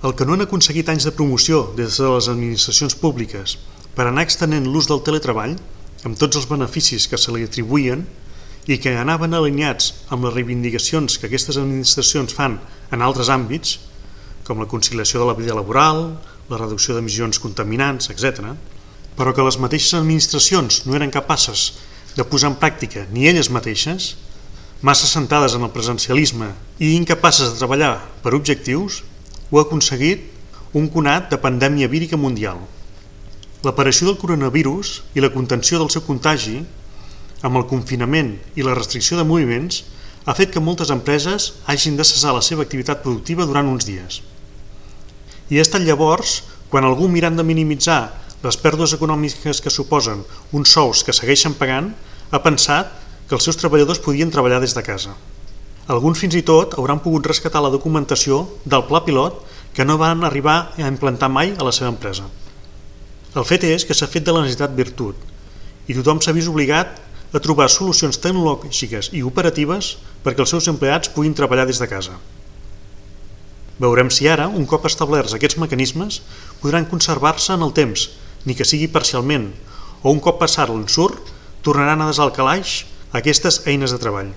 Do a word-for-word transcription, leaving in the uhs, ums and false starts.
El que no han aconseguit anys de promoció des de les administracions públiques per anar extenent l'ús del teletreball, amb tots els beneficis que se li atribuïen i que anaven alineats amb les reivindicacions que aquestes administracions fan en altres àmbits, com la conciliació de la vida laboral, la reducció d'emissions contaminants, etcètera, però que les mateixes administracions no eren capaces de posar en pràctica ni elles mateixes, massa centrades en el presencialisme i incapaces de treballar per objectius, ho ha aconseguit un conat de pandèmia vírica mundial. L'aparició del coronavirus i la contenció del seu contagi, amb el confinament i la restricció de moviments, ha fet que moltes empreses hagin de cessar la seva activitat productiva durant uns dies. I ha estat llavors quan algú, mirant de minimitzar les pèrdues econòmiques que suposen uns sous que segueixen pagant, ha pensat que els seus treballadors podien treballar des de casa. Alguns fins i tot hauran pogut rescatar la documentació del pla pilot que no van arribar a implantar mai a la seva empresa. El fet és que s'ha fet de la necessitat virtut i tothom s'ha vist obligat a trobar solucions tecnològiques i operatives perquè els seus empleats puguin treballar des de casa. Veurem si ara, un cop establerts aquests mecanismes, podran conservar-se en el temps, ni que sigui parcialment, o un cop passat l'ensurt, tornaran a desar al calaix aquestes eines de treball.